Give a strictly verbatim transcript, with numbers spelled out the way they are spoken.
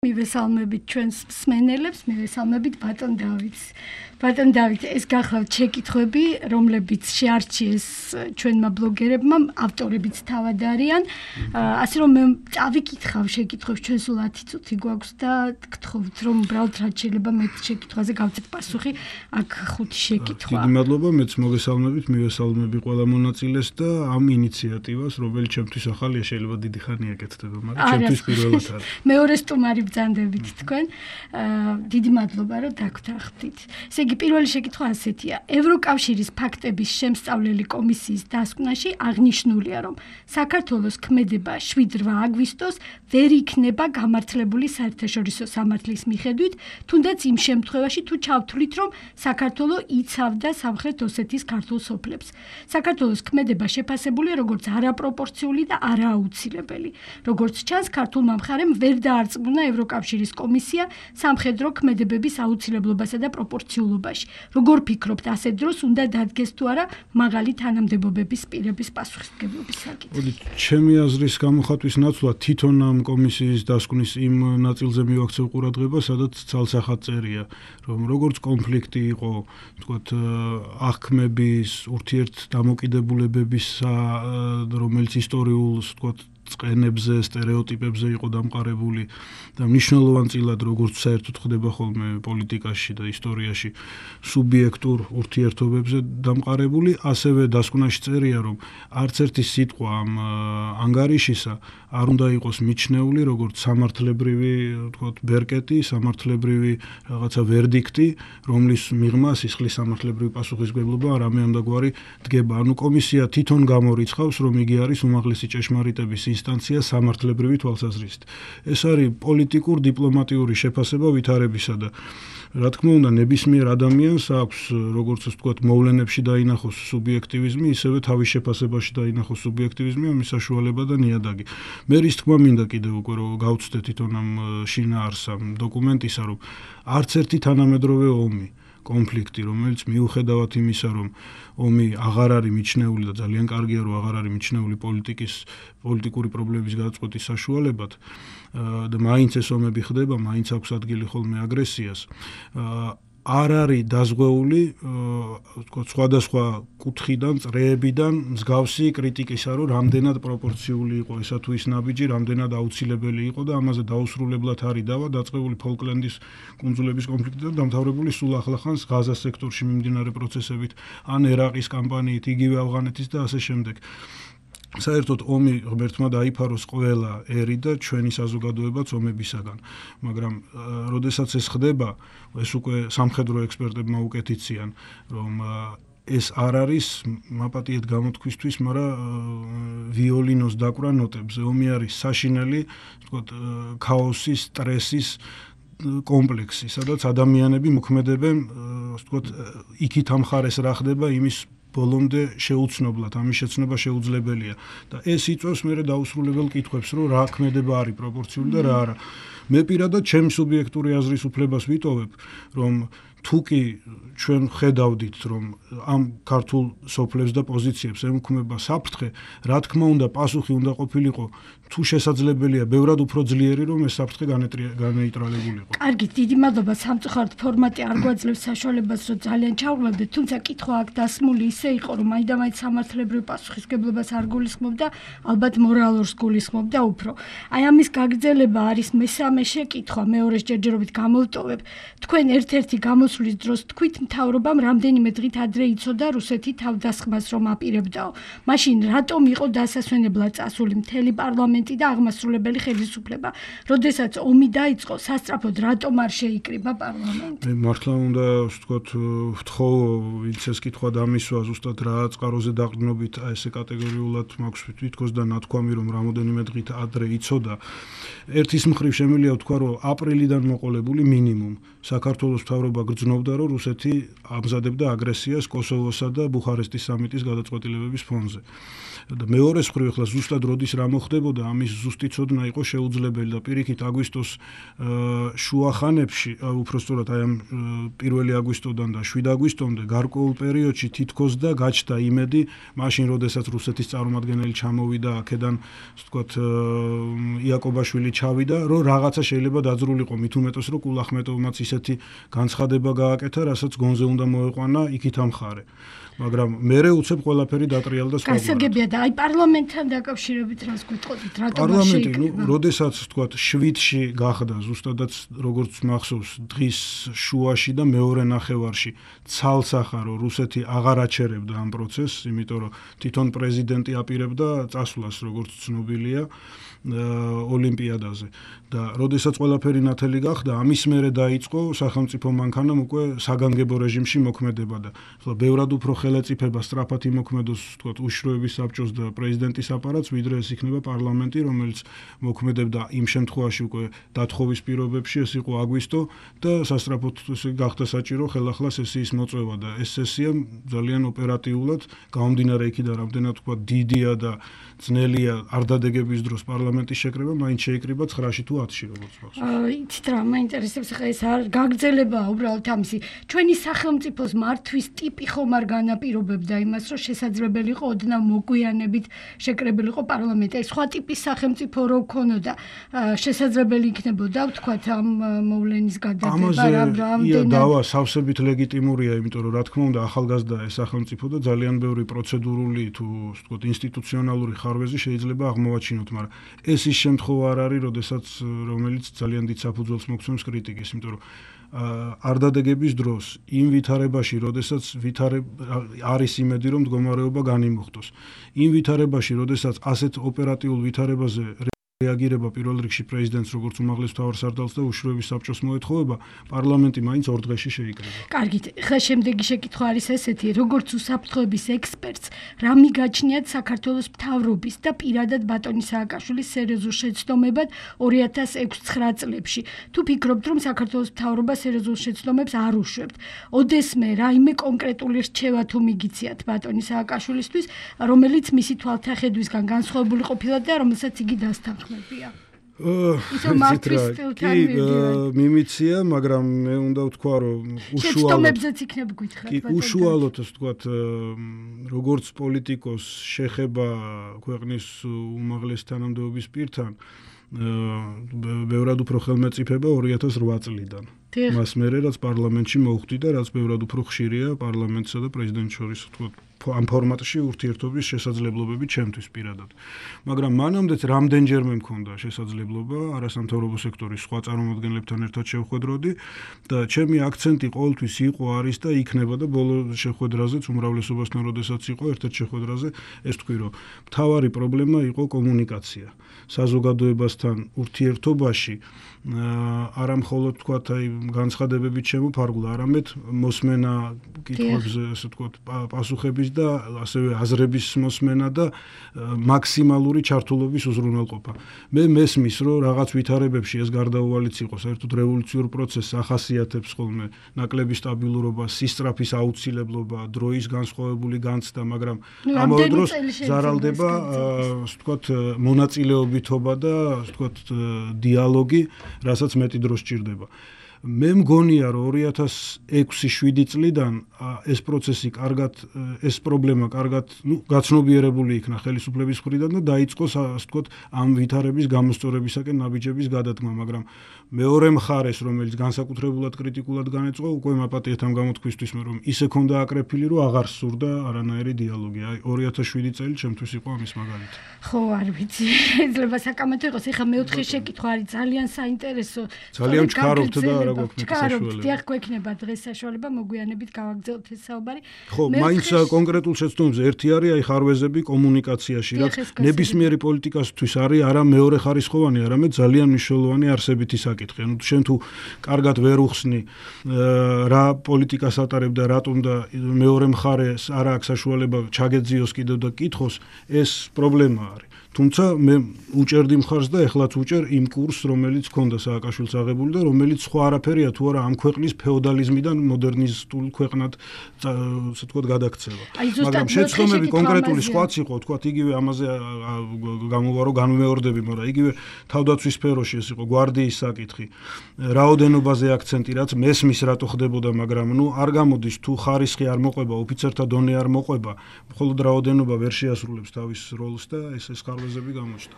მივესალმებით ჩვენს მსმენელებს, მივესალმებით ბატონ დავითს. ბატონ დავით, ეს გახლავთ შეკითხვები, რომლებიც შეარჩიეს ჩვენმა ბლოგერებმა, ავტორებიც თავად არიან. ასე რომ მე წავიკითხავ შეკითხვებს, ჩვენ სულ ათი წუთი გვაქვს და გთხოვთ, რომ უბრალოდ რაც შეიძლება მე შეკითხვაზე გავცეთ პასუხი, აქ ხუთი შეკითხვა. დიდი მადლობა, მეც მოგესალმებით, მივესალმები ყველა მონაწილეს და ამ ინიციატივას, რომელიც ჩემთვის ახალია, შეიძლება დიდი ხანია კეთდება, მაგრამ ჩემთვის პირველად არის. მეორე სტუმარი ბრძანდებით თქვენ. დიდი მადლობა, რომ დაგვთანხმდით. ესე იგი, პირველი შეკითხვა ასეთია. ევროკავშირის ფაქტების შემსწავლელი კომისიის დასკვნაში აღნიშნულია, რომ საქართველოს ქმედება შვიდ რვა აგვისტოს ვერ იქნება გამართლებული საერთაშორისო სამართლის მიხედვით, თუნდაც იმ შემთხვევაში, თუ ჩავთვლით, რომ საქართველო იცავდა სამხრეთ ოსეთის ქართულ სოფლებს. საქართველოს ქმედება შეფასებულია როგორც არაპროპორციული და არააუცილებელი. როგორც ჩანს, ქართულმა მხარემ ვერ დაარწმუნა ევროკავშირის კომისია სამხედრო ქმედებების აუცილებლობასა და პროპორციულობაში. როგორ ფიქრობთ, ასეთ დროს უნდა დადგეს თუ არა მაღალი თანამდებობების პირების პასუხისმგებლობის საკითხი? მოდი, ჩემი აზრის გამოხატვის ნაცვლად თვითონ ამ კომისიის დასკვნის იმ ნაწილზე მივაქცევ ყურადღება, სადაც ცალსახად წერია, რომ როგორც კონფლიქტი იყო, თქვათ, აღქმების, ურთიერთდამოკიდებულებების, რომელიც ისტორიულ, თქვათ, წყენებზე, სტერეოტიპებზე იყო დამყარებული და მნიშვნელოვანწილად როგორც საერთოდ ხდება ხოლმე პოლიტიკაში და ისტორიაში სუბიექტურ ურთიერთობებზე დამყარებული, ასევე დასკვნაში წერია, რომ არც ერთი სიტყვა ამ ანგარიშისა არ უნდა იყოს მიჩნეული როგორც სამართლებრივი, თქვათ, ბერკეტი, სამართლებრივი რაღაცა ვერდიქტი, რომლის მიღმა სისხლის სამართლებრივი პასუხისმგებლობა რამე ამდაგვარი დგება. ანუ კომისია თვითონ გამორიცხავს, რომ იგი არის უმაღლესი ჭეშმარიტების ინსტანცია სამართლებრივი თვალსაზრისით. ეს არის პოლიტიკურ დიპლომატიური შეფასება ვითარებისა და რა თქმა უნდა, ნებისმიერ ადამიანს აქვს, როგორც ასე ვთქვათ, მოვლენებში დაინახოს სუბიექტივიზმი, ისევე თავის შეფასებაში დაინახოს სუბიექტივიზმი, ამის საშუალება და ნიადაგი. მე რის თქმა მინდა კიდევ უკვე რომ გავუცდე თვითონ ამ შინაარსს ამ დოკუმენტისა, რომ არც ერთი თანამედროვე ომი, კონფლიქტი, რომელიც მიუხედავად იმისა, რომ ომი აღარ არის მიჩნეული და ძალიან კარგია, რომ აღარ არის მიჩნეული პოლიტიკის, პოლიტიკური პრობლემების გადაწყვეტის საშუალებად და მაინც ეს ომები ხდება, მაინც აქვს ადგილი ხოლმე აგრესიას. არ არის დაზღვეული, თქვა, სხვადასხვა კუთხიდან, წრეებიდან მსგავსი კრიტიკისა, რომ რამდენად პროპორციული იყო ესა თუ ის ნაბიჯი, რამდენად აუცილებელი იყო და ამაზე დაუსრულებლად არის დავა დაწყებული ფოლკლენდის კუნძულების კონფლიქტიდან დამთავრებული სულ ახლახანს ღაზას სექტორში მიმდინარე პროცესებით, ან ერაყის კამპანიით, იგივე ავღანეთის და ასე შემდეგ. საერთოდ ომი ღმერთმა დაიფაროს ყველა ერი და ჩვენი საზოგადოებაც ომებისაგან, მაგრამ როდესაც ეს ხდება, ეს უკვე სამხედრო ექსპერტებმა უკეთიციან, რომ ეს არ არის მაპატიეთ გამოთქვისთვის, მაგრამ ვიოლინოს დაკვრა ნოტებზე. ომი არის საშინელი, თქვათ, ქაოსის, სტრესის კომპლექსი, სადაც ადამიანები მოქმედებენ, თქვათ, იქით ამ მხარეს რა ხდება, იმის ბოლომდე შეუცნობლად, ამის შეცნობა შეუძლებელია და ეს იწვევს მერე დაუსრულებელ კითხვებს, რომ რა ქმედება არის პროპორციული და რა არა. მე პირადად ჩემი სუბიექტური აზრის უფლებას ვიტოვებ, რომ თუ კი ჩვენ ხედავდით, რომ ამ ქართულ სოფლებს და პოზიციებს ემუქმება საფრთხე, რა თქმა უნდა, პასუხი უნდა ყოფილიყო, თუ შესაძლებელია, ბევრად უფრო ძლიერი, რომ ეს საფრთხე განეიტრალებულიყო. კარგით, დიდი მადლობა. სამწუხაროდ ფორმატი არ გვაძლევს საშუალებას, რომ ძალიან ჩავღლებდეთ, თუმცა კითხვა აქ დასმული ისე იყო, რომ მაინდამაინც სამართლებრივ პასუხისმგებლობას არ გულისხმობდა, ალბათ მორალურს გულისხმობდა უფრო. აი ამის გაგრძელება არის მესამე შეკითხვა, მეორეს ჯერჯერობით გამოვტოვებ. თქვენ ერთ-ერთი გამოსვლის დროს თქვით, მთავრობამ რამდენიმე დღით ადრე იცოდა რუსეთი თავდასხმას რომ აპირებდაო. მაშინ რატომ იყო დასასვენებლად წასული მთელი პარლამენტი და აღმასრულებელი ხელისუფლება? როდესაც ომი დაიწყო, სასწრაფოდ რატომ არ შეიკრიბა პარლამენტი? მე მართლა უნდა ვთქვათ, ვთხოვ, ვინც ეს კითხვა დამისვა, ზუსტად რა წყაროზე დაყრდნობით ესე კატეგორიულად მაქვს თვითქოს და ნათქვამი, რომ რამოდენიმე დღით ადრე იცოდა. ერთის მხრივ შემიძლია ვთქვა, რომ აპრილიდან მოყოლებული მინიმუმ საქართველოს მთავრობა გრძნობდა, რომ რუსეთი ამზადებდა აგრესიას კოსოვოსა და ბუხარესტის სამიტის გადაწყვეტილებების ფონზე. და მეორე მხრივ ახლა ზუსტად როდის რა მოხდებოდა, ამის ზუსტი ცოდნა იყო შეუძლებელი და პირიქით აგვისტოს შუა ხანებში, უпростоრად აი ამ პირველი აგვისტოდან და შვიდ აგვისტომდე გარკვეულ პერიოდში თითქოს და გაჩნდა იმედი, მაშინ როდესაც რუსეთის წარმომადგენელი ჩამოვიდა აქედან, ასე ვთქვათ, იაკობაშვილი ჩავიდა, რომ რაღაცა შეიძლება დაძრულიყო, მით უმეტეს რომ კულახმეტოვმაც ისეთი განცხადება გააკეთა, რასაც გონზე უნდა მოეყვანა იქით ამხარე. მაგრამ მერე უცებ ყველაფერი დატრიალდა სხვა. გასაგებია და აი პარლამენტთან დაკავშირებით რას გვიტყოდით, რატომ პარლამენტი, ნუ, როდესაც ვთქვათ, შვიდში გახდა ზუსტადაც როგორც მახსოვს, დღის შუაში და მეორე ნახევარში ცალსახა რომ რუსეთი აღარ აჩერებდა ამ პროცესს, იმიტომ რომ თვითონ პრეზიდენტი აპირებდა წასვლას, როგორც ცნობილია, ოლიმპიადაზე. და როდესაც ყველაფერი ნათელი გახდა, ამის მერე დაიწყო სახელმწიფო მანქანამ უკვე საგანგებო რეჟიმში მოქმედება და ახლა ბევრად უფრო ხელეწიფება სწრაფად იმოქმედოს, ვთქვათ, უშროების საბჭოს და პრეზიდენტის აპარატს, ვიდრე ეს იქნება პარლამენტი, რომელიც მოქმედებდა იმ შემთხვევაში უკვე დათხოვის პირობებში, ეს იყო აგვისტო და სასწრაფოდ გახდა საჭირო ხელახლა სესიის მოწვევა და ეს სესია ძალიან ოპერატიულად გამომდინარე იქიდან, რამდენად ვთქვათ, დიდია და ძნელია არ დადეგების დროს პარლამენტის შეკრება, მაინც შეიკრიბა ცხრაში თუ ათში როგორც მახსოვს. იცით რა, მაინტერესებს ხა ეს არ გაგრძელებაა უბრალოდ ამისი. ჩვენი სახელმწიფოს მართვის ტიპი ხომ არ განაპირობებდა იმას, რომ შესაძლებელი იყო ოდნავ მოგვიანებით შეკრებილი იყო პარლამენტი. აი სხვა ტიპის სახელმწიფო რო ქონოდა, შესაძლებელი იქნებოდა ვთქვათ ამ მოვლენის გადადება რამდენად. დავა სავსებით ლეგიტიმურია, იმიტომ რომ რა თქმა უნდა ახალგაზრდა ეს სახელმწიფო და ძალიან ბევრი პროცედურული თუ ვთქვათ ინსტიტუციონალური ხარვეზი შეიძლება აღმოვაჩინოთ, მაგრამ ეს ის შემთხვევა არ არის, როდესაც რომელიც ძალიან დიდ საფუძველს მოგცემს კრიტიკის, იმიტომ რომ არ დადეგების დროს იმ ვითარებაში, როდესაც არის იმედი, რომ მდგომარეობა განიმუხტოს. იმ ვითარებაში, როდესაც ასეთ ოპერატიულ ვითარებაზე რეაგირება პირველ რიგში პრეზიდენტს, როგორც უმაღლეს მთავარსარდალს და უშროების საბჭოს მოეთხოვება, პარლამენტი მაინც ორ დღეში შეიკრიბა. კარგით, ხა შემდეგი შეკითხვა არის ესეთი, როგორც უსაფრთხოების ექსპერტს, რა მიგაჩნიათ საქართველოს მთავრობის და პირადად ბატონი სააკაშვილის სერიოზულ შეცდომებად ორი ათას ექვსი-ცხრა წლებში. თუ ფიქრობთ, რომ საქართველოს მთავრობა სერიოზულ შეცდომებს არ უშვებთ, ოდესმე რაიმე კონკრეტული რჩევა თუ მიგიციათ ბატონი სააკაშვილისთვის, რომელიც მისი თვალთახედვისგან განსხვავებული ყოფილა და რომელსაც იგი დასთანხმდა. ისო მართვის სტილთან მიდიან. მიმიცია, მაგრამ მე უნდა ვთქვა, რომ უშუალოდ შეცდომებზეც იქნებ გითხრათ. კი, უშუალოდ ასე ვთქვათ, როგორც პოლიტიკოს შეხება ქვეყნის უმაღლეს თანამდებობის პირთან, ბევრად უფრო ხელმეწიფება ორი ათას რვა წლიდან. მას მერე რაც პარლამენტში მოხვდი და რაც ბევრად უფრო ხშირია პარლამენტსა და პრეზიდენტს შორის, ვთქვათ, ამ ფორმატში ურთიერთობის შესაძლებლობები ჩემთვის პირადად. მაგრამ მანამდეც რამდენჯერმე მქონდა შესაძლებლობა არასამთავრობო სექტორის სხვა წარმომადგენლებთან ერთად შევხვედროდი და ჩემი აქცენტი ყოველთვის იყო, არის და იქნება და ბოლო შეხვედრაზეც უმრავლესობასთან როდესაც იყო ერთ-ერთ შეხვედრაზე ეს თქვი, რომ მთავარი პრობლემა იყო კომუნიკაცია. საზოგადოებასთან ურთიერთობაში არა მხოლოდ ვთქვათ, აი განცხადებებით შემოფარგლა, არამედ მოსმენა კითხვებზე, ასე ვთქვათ, პასუხების და ასევე აზრების მოსმენა და მაქსიმალური ჩართულობის უზრუნველყოფა. მე მესმის, რომ რაღაც ვითარებებში ეს გარდაუვალიც იყო, საერთოდ რევოლუციურ პროცესს ახასიათებს ხოლმე ნაკლები სტაბილურობა, სისწრაფის აუცილებლობა, დროის განსხვავებული განცდა, მაგრამ ამავე დროს ზარალდება, ასე ვთქვათ, მონაწილეობითობა და ასე ვთქვათ, დიალოგი, რასაც მეტი დრო სჭირდება. მე მგონია, რომ ორი ათას ექვსი შვიდი წლიდან ეს პროცესი კარგად, ეს პრობლემა კარგად, ნუ, გაცნობიერებული იქნა ხელისუფლების მხრიდან და დაიწყო, ასე ვთქვათ, ამ ვითარების გამოსწორებისაკენ ნაბიჯების გადადგმა, მაგრამ მეორე მხარეს, რომელიც განსაკუთრებულად კრიტიკულად განეწყო, უკვე მაპატიეთ ამ გამოთქვისთვის, რომ ისე ქონდა აკრეფილი, რომ აღარ სურდა არანაირი დიალოგი. აი ორი ათას შვიდი წელი ჩემთვის იყო ამის მაგალითი. ხო, არ ვიცი, შეიძლება საკამათო იყოს. ეხლა მეოთხე შეკითხვა არის ძალიან საინტერესო. ძალიან ვჩქარობთ და რა გვაქვს საშუალება. დიახ, გვექნება დღეს საშუალება მოგვიანებით გავაგრძელოთ ეს საუბარი. ხო, მაინც კონკრეტულ შეცდომებზე ერთი არის აი ხარვეზები კომუნიკაციაში, რაც ნებისმიერი პოლიტიკასთვის არის არა მეორე ხარისხოვანი, არამედ ძალიან მნიშვნელოვანი არსებითი საკითხი. ანუ შენ თუ კარგად ვერ უხსნი რა პოლიტიკას ატარებ და რატომ და მეორე მხარეს არ აქვს საშუალება ჩაგეძიოს კიდევ და კითხოს, ეს პრობლემა არის. თუმცა მე უჭერდი მხარს და ეხლაც უჭერ იმ კურსს, რომელიც ჰქონდა სააკაშვილს აღებული და რომელიც სხვა არაფერია თუ არა ამ ქვეყნის ფეოდალიზმიდან მოდერნისტულ ქვეყნად ასე ვთქვათ გადაქცევა. მაგრამ შეცდომები კონკრეტული სხვაც იყო, ვთქვათ, იგივე ამაზე გამოვარო განმეორდები, მაგრამ იგივე თავდაცვის სფეროში ეს იყო გვარდიის საკითხი. რაოდენობაზე აქცენტი, რაც მესმის რატო ხდებოდა, მაგრამ ნუ არ გამოდის თუ ხარისხი არ მოყვება, ოფიცერთა დონე არ მოყვება, მხოლოდ რაოდენობა ვერ შეასრულებს თავის როლს და ეს ეს ხარვეზები გამოჩნდა.